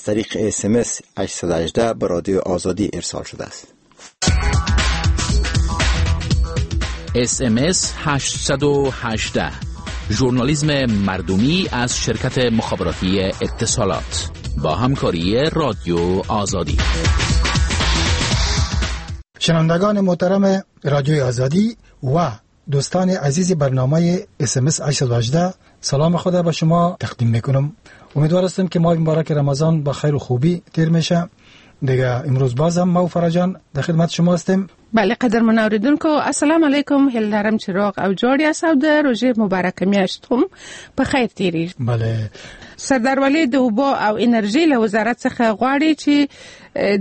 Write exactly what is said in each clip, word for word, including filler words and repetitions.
طریق اس ام اس هشتصد و هجده به رادیو آزادی ارسال شده است. اس ام اس هشتصد و هجده، ژورنالیسم مردمی از شرکت مخابراتی اتصالات با همکاری رادیو آزادی. شنوندگان محترم رادیو آزادی و دوستان عزیز برنامه اس ام اس هشتصد و هجده، سلام خدا به شما تقدیم میکنم. امیدوار هستم که ماه مبارک رمضان با خیر و خوبی تیر میشه. دیگه امروز بازم ما و فرجان در خدمت شما هستیم. بله قدرمن اوریدونکو، السلام علیکم. هیله لرم چې روغ او جوړ یاست او د روژې مبارکه میاشت هم په خیر تیریږي. بله. سردار ولي د اوبو او انرژۍ له وزارت څخه غواړي چې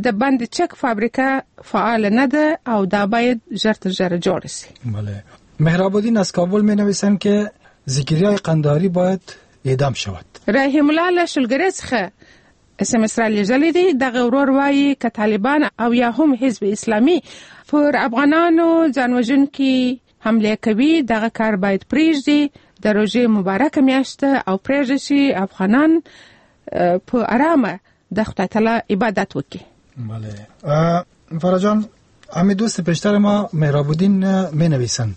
د بند چک فابریکه فعال نه ده او دا باید ژر تر ژره جوړه شي. بله. مهراب الدین از کابل می نویسند که ذکریای قنداری باید اعدام شود. رحیم الله له شلګرې څخه اس ام اس را لېږلی دی. دغه ورور وایي که طالبان او یا هم حزب اسلامي پر افغانانو ځانوژونکي حمله کوي، دغه کار باید پرېږدي. د روژې مبارکه میاشت او پرېږدي چې افغانان په ارامه د خدای تعالی عبادت وکړي. بله. فرجان، همین دوست پیشتر ما مهراب الدین می نویسند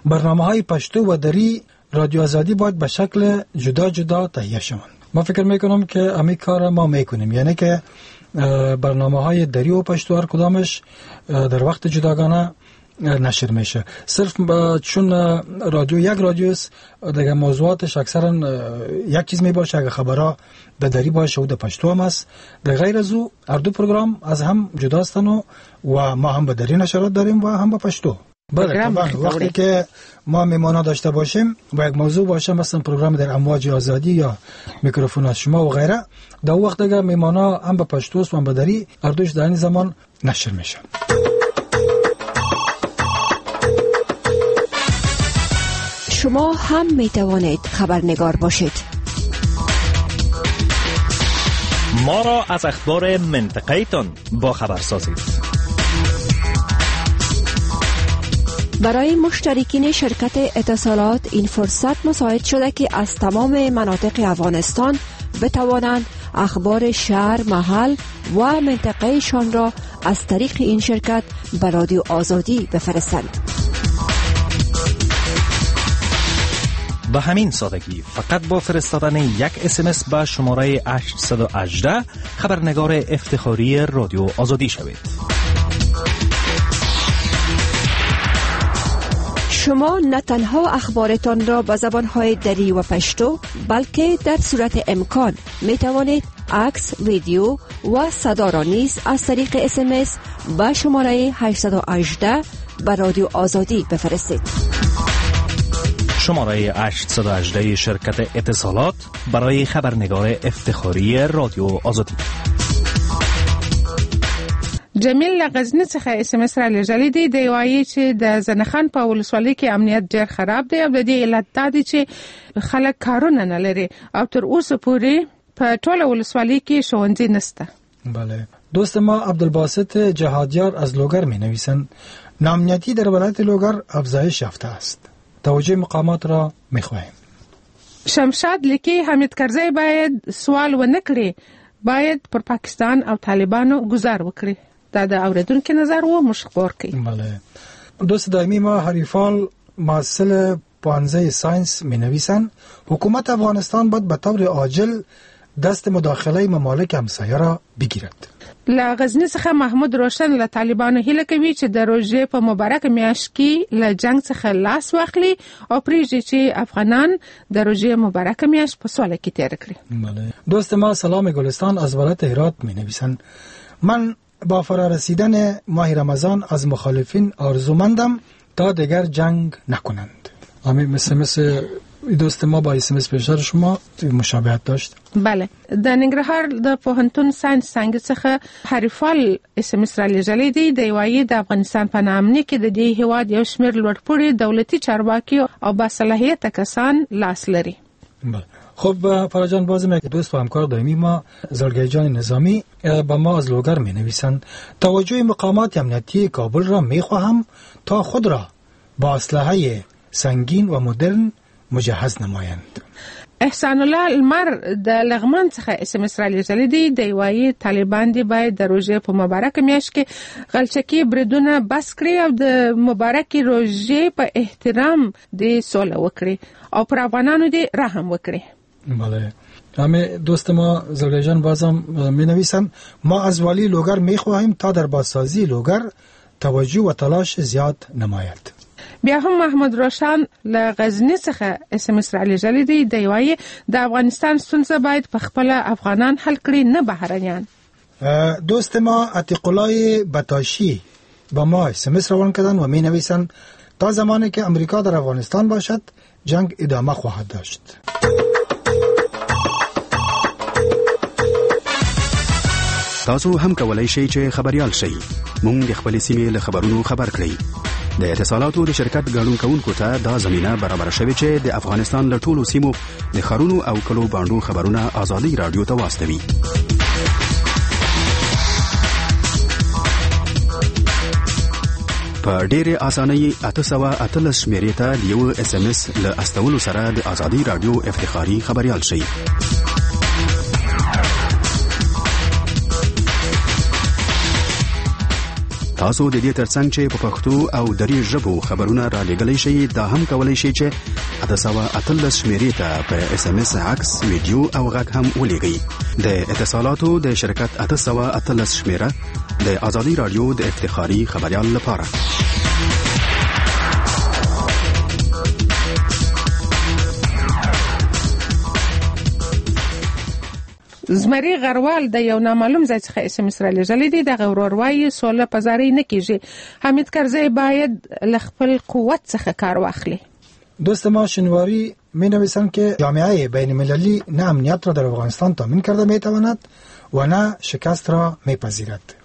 برنامه های پشتو و دری رادیو آزادی باید به شکل جدا جدا تهیه شوند. ما فکر میکنم که همین کار ما میکنیم، یعنی که برنامه های دری و پشتو هر کدامش در وقت جداگانه نشر میشه. صرف چون رادیو یک رادیو است، دیگه موضوعاتش اکثرا یک چیز میباشه. اگه خبرها در دری باشه و در پشتو هم است، در غیر از او هر دو پروگرام از هم جدا هستن و ما هم به دری نشرات داریم و هم به پشتو. بله طبعا وقتی که ما میمانا داشته باشیم و یک موضوع باشه، مثلا پروگرام در امواج آزادی یا میکروفون از شما و غیره، در وقت دیگه میمانا هم به پشتو و هم به دری هر دوش در این زمان نشر میشه. شما هم می توانید خبرنگار باشید. ما را از اخبار منطقه تان با خبر سازید. برای مشترکین شرکت اتصالات این فرصت مساعد شده که از تمام مناطق افغانستان بتوانند اخبار شهر، محل و منطقهشان را از طریق این شرکت به رادیو آزادی بفرستند. به همین سادگی فقط با فرستادن یک اس ام اس به شماره هشتصد و هجده خبرنگار افتخاری رادیو آزادی شوید. شما نه تنها اخبارتان را به زبانهای دری و پشتو، بلکه در صورت امکان می توانید عکس، ویدیو و صدا را نیز از طریق اس ام اس به شماره هشتصد و هجده به رادیو آزادی بفرستید. شماره هشتصد و هجده شرکت اتصالات برای خبرنگار افتخاری رادیو آزادی. جمیل له غزني څخه اس ام اس را لېږلی دی. دی وایي چې د زنخان په ولسوالۍ کې امنیت ډېر خراب دی او د دې علت دا دی چې خلک کارونه نه لري او تر اوسه پورې په ټوله ولسوالۍ کې ښوونځي نشته. بله. دوست ما عبدالباسط جهادیار از لوگر می نویسند ناامنیتی در ولایت لوگر افزایش یافته است. توجه مقامات را می خواهیم. شمشاد لیکي حامد کرزی باید سوال ونه کړي، باید پر پاکستان او طالبانو ګوزار وکړي. دا د اوریدونکو نظر و موږ خبر کړي. بله. دوست دائمی ما حریفال محصل پانزه ساینس می نویسند حکومت افغانستان باید به طور عاجل دست مداخله ممالک همسایه را بگیرد. له غزني څخه محمود روشن له طالبانو هیله کوي چې د روژې په مبارکه میاشت کې له جنګ څخه لاس واخلي او پرېږدي چې افغانان د روژې مبارکه میاشت په سوله کې تېره کړي. بله. دوست ما سلام گلستان از ولایت هرات می نویسند من با فرارسیدن ماه رمضان از مخالفین آرزومندم تا دیگر جنگ نکنند. همین مثل مثل دوست ما با اس ام اس پیشتر شما مشابهت داشت. بله. د ننګرهار د پوهنتون ساینس څانګې څخه حریفال اس ام اس را لېږلی دی. دی وایي د افغانستان په ناامني کې د دې هیواد یو شمېر لوړپوړي دولتي چارواکي او باصلاحیته کسان لاس لري. بله. خب فرجان، بازم یک دوست و همکار دائمی ما زرگی جان نظامی با ما از لوگر می نویسند توجه مقامات امنیتی کابل را می خواهم تا خود را با اسلحه سنگین و مدرن مجهز نمایند. احسان الله لمر د لغمان څخه اس ام اس را لېږلی دی. دی وایي طالبان دې باید د روژې په مبارکه میاشت کې غلچکي بریدونه بس کړي او د مبارکې روژې په احترام دې سوله وکړي او پر افغانانو دې رحم وکړي. بله، همه دوست ما زلگی جان بازم می نویسن ما از والی لوگر می خواهیم تا در بازسازی لوگر توجه و تلاش زیاد نماید. بیا هم محمد روشن له غزني څخه اس ام اس را لېږلی دی. دی وایي د افغانستان ستونزه باید په خپله افغانان حل کړي، نه بهرنیان. دوست ما عتیق الله بتاشی با ما اس ام اس روان کردن و می نویسن تا زمانی که امریکا در افغانستان باشد جنگ ادامه خواهد داشت. تاسو هم کولای شئ چې خبريال شئ. موږ د خپلې سیمې له خبرونو خبر کړئ. د اتصالاتو د شرکت ګډون کوونکو ته دا زمينه برابره شوې چې د افغانستان له ټولو سیمو د ښارونو او کلو باندو خبرونه ازادي راډیو ته واستوي. په ډېرې اسانۍ اته سوه اتلس شمېرې ته د یو اس ام اس له استولو سره د ازادي راډیو افتخاري خبریال شئ. تاسو د دې ترڅنګ چې په پښتو او دري ژبو خبرونه را لېږلی شئ، دا هم کولی شئ چې اته سوه اتلس شمېرې ته په اس ام اس عکس، ویډیو او غږ هم ولېږئ. د اتصالاتو د شرکت اته سوه اتلس شمېره د ازادي راډیو د افتخاري خبریال لپاره. زمری غروال د یو نامعلوم ځای څخه اس ام اس را لېږلی دی. دغه ورور وایي سوله په زارۍ نه کیږي، حامد کرزی باید له خپل قوت څخه کار واخلي. دوست ما شنواری می نویسند که جامعه بین المللی نه امنیت را در افغانستان تامین کرده می تواند و نه شکست را می پذیرد.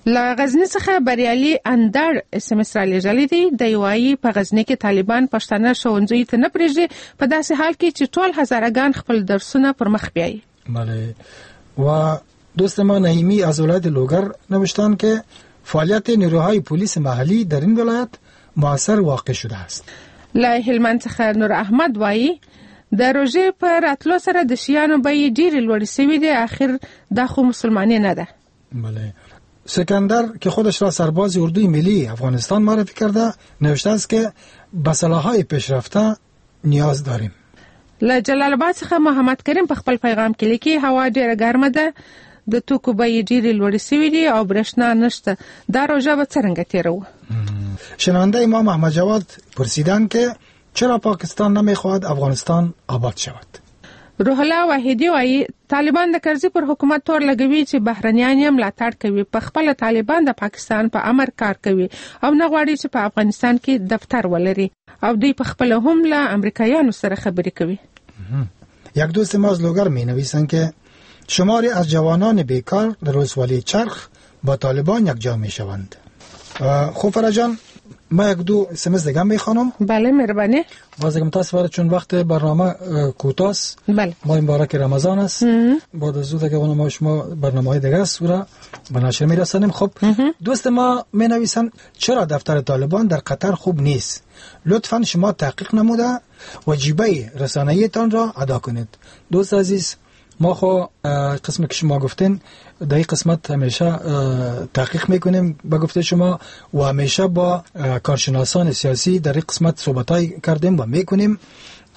له غزني څخه بریالي اندړ اس ام اس را لېږلی دی. دی وایي په غزني کې طالبان پښتانه ښوونځیو ته نه پرېږدي، په داسې حال کې چې ټول هزارهګان خپل درسونه پر مخ بیایي. بله. و دوست ما نعیمی از ولایت لوگر نوشتن که فعالیت نیروهای پلیس محلی در این ولایت موثر واقع شده است. له هلمند څخه نور احمد وایي د روژې په راتلو سره د شیانو بیې ډېرې لوړې شوې دي، اخر دا خو مسلماني نه ده. بله. سکندر که خودش را سرباز اردوی ملی افغانستان معرفی کرده نوشته است که به سلاح‌های پیشرفته نیاز داریم. له جلال آباد څخه محمد کریم په خپل پیغام کې لیکي هوا ډېره ګرمه ده، د توکو بیې ډېرې لوړې شوې دي او برېښنا نشته، دا روژه به څرنګه تېروو؟ شنونده ما محمد جواد پرسیدند که چرا پاکستان نمیخواهد افغانستان آباد شود. روح الله واحدي وایي طالبان د کرزي پر حکومت تور لګوي چې بهرنیان یې ملاتړ کوي، په خپله طالبان د پاکستان په امر کار کوي او نه غواړي چې په افغانستان کې دفتر ولري او دوی په خپله هم له امریکایانو سره خبرې کوي. یک دوست ما از لوگر می نویسند که شماری از جوانان بیکار در ولسوالی چرخ با طالبان یکجا می شوند. خب فرجان، ما یک دو اس ام اس دیگه میخوانم. بله مهربانی. باز دیگه متاسفانه چون وقت برنامه کوتاست، بله ماه مبارک رمضان است، بعد از زود دیگه ما شما برنامه های دیگه است را به نشر میرسانیم. خب دوست ما می نویسن چرا دفتر طالبان در قطر خوب نیست؟ لطفا شما تحقیق نموده وجیبه رسانه‌ای تان را ادا کنید. دوست عزیز، ما خو قسم که شما گفتین در این قسمت همیشه تحقیق میکنیم به گفته شما و همیشه با کارشناسان سیاسی در این قسمت صحبت‌های کردیم و میکنیم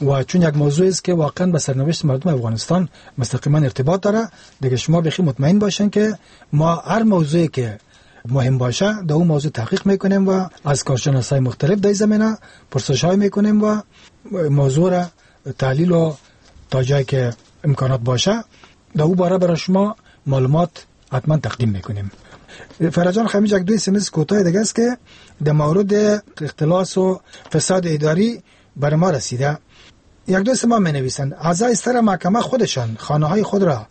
و چون یک موضوع است که واقعا به سرنوشت مردم افغانستان مستقیما ارتباط داره، دیگه شما بخی مطمئن باشین که ما هر موضوعی که مهم باشه در اون موضوع تحقیق میکنیم و از کارشناسای مختلف در زمینه پرسش‌های میکنیم و موضوع را تحلیل و تا جایی که امکانات باشه در او باره برای شما معلومات حتما تقدیم میکنیم. فرجان خمیج یک دوی سمس کوتاه دیگه است که در مورد اختلاس و فساد اداری بر ما رسیده. یک دوست ما می نویسند اعضای سر محکمه خودشان خانه های خود را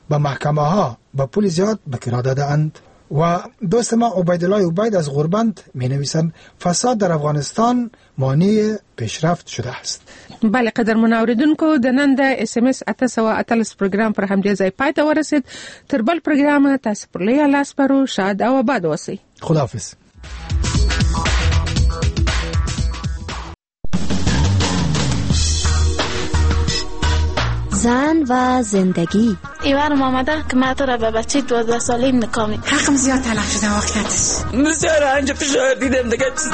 به محکمه ها با پول زیاد به کرا داده اند. و دوست ما عبیدالله عبید از غربند می نویسند فساد در افغانستان مانع پیشرفت شده است. بله قدرمن اوریدونکو، د نن د اس ام اس اته سوه اتلس پروګرام پر همدې ځای پای ته ورسید. تر بل پروګرام تاسو پر لوی الله سپارو، شاد او آباد اوسئ. خداحافظ. زن و زندگی. ایوارم آمده که من تو را به بچه دوازده ساله نکاح می. حقم زیاد تلف شده وقتش. بسیار رنج فشار دیدم دیگه چیز.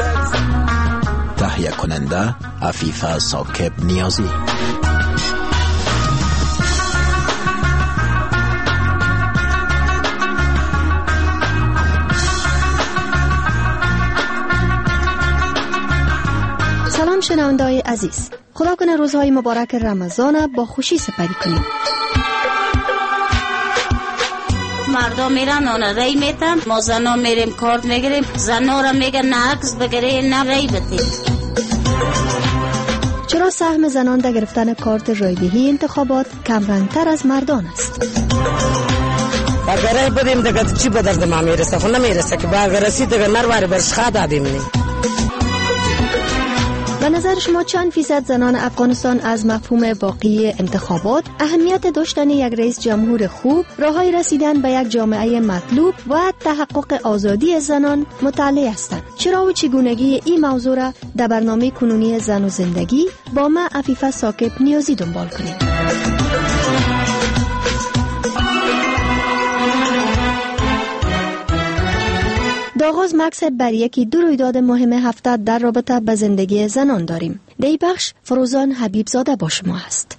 تهیه کننده عفیفه ثاقب نیازی. سلام شنونده‌های عزیز، خدا کنه روزهای مبارک رمضان با خوشی سپری کنیم. مردا میرن اونا رای میتن، ما زنا میریم کارت میگیریم، زنا را میگن نه عکس بگیره نه رای بده. چرا سهم زنان در گرفتن کارت رایدهی انتخابات کمرنگتر از مردان است؟ اگر رای بدیم دیگه چی به درد ما میرسه؟ خو نمیرسه که با اگر رسید دیگه نرواره برش خواه دادیم. نی به نظر شما چند فیصد زنان افغانستان از مفهوم واقعی انتخابات، اهمیت داشتن یک رئیس جمهور خوب، راه‌های رسیدن به یک جامعه مطلوب و تحقق آزادی زنان مطلع هستند؟ چرا و چگونگی این موضوع را در برنامه کنونی زن و زندگی با ما عفیفه ثاقب نیازی دنبال کنید. آغاز مکس بر یکی دو رویداد مهم هفته در رابطه به زندگی زنان داریم. در بخش فروزان حبیب زاده با شما است.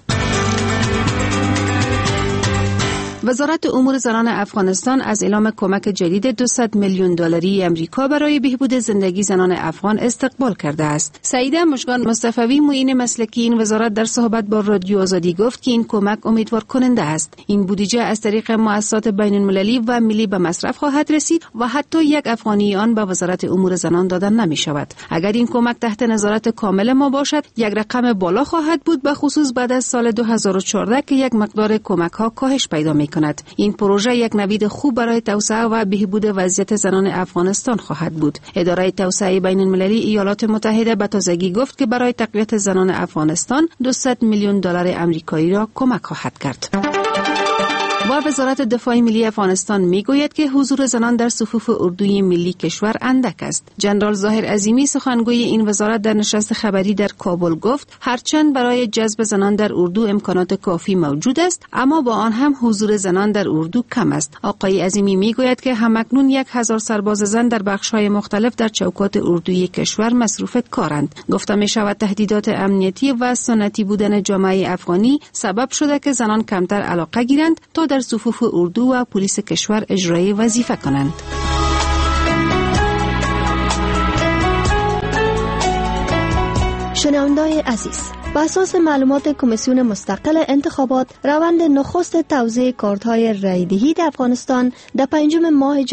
وزارت امور زنان افغانستان از اعلام کمک جدید دویست میلیون دلاری امریکا برای بهبود زندگی زنان افغان استقبال کرده است. سعیده مشگان مصطفوی معین مسلکی این وزارت در صحبت با رادیو آزادی گفت که این کمک امیدوار کننده است. این بودجه از طریق مؤسسات بین المللی و ملی به مصرف خواهد رسید و حتی یک افغانی آن به وزارت امور زنان داده نمی شود. اگر این کمک تحت نظارت کامل ما باشد، یک رقم بالا خواهد بود، به خصوص بعد از سال دو هزار و چهارده که یک مقدار کمک ها کاهش پیدا می کند. این پروژه یک نوید خوب برای توسعه و بهبود وضعیت زنان افغانستان خواهد بود. اداره توسعه بین المللی ایالات متحده به تازگی گفت که برای تقویت زنان افغانستان دویست میلیون دلار امریکایی را کمک خواهد کرد. و وزارت دفاع ملی افغانستان میگوید که حضور زنان در صفوف اردوی ملی کشور اندک است. جنرال ظاهر عظیمی سخنگوی این وزارت در نشست خبری در کابل گفت هرچند برای جذب زنان در اردو امکانات کافی موجود است، اما با آن هم حضور زنان در اردو کم است. آقای عظیمی میگوید که همکنون یک هزار سرباز زن در بخش‌های مختلف در چوکات اردوی کشور مصروف کارند. گفته می‌شود تهدیدات امنیتی و سنتی بودن جامعه افغانی سبب شده که زنان کمتر علاقه گیرند تا در صفوف اردو و پلیس کشور اجرای وظیفه کنند. شنونده‌های عزیز، به اساس معلومات کمیسیون مستقل انتخابات، روند نخست توزیع کارت‌های رای‌دهی در افغانستان در پنجم ماه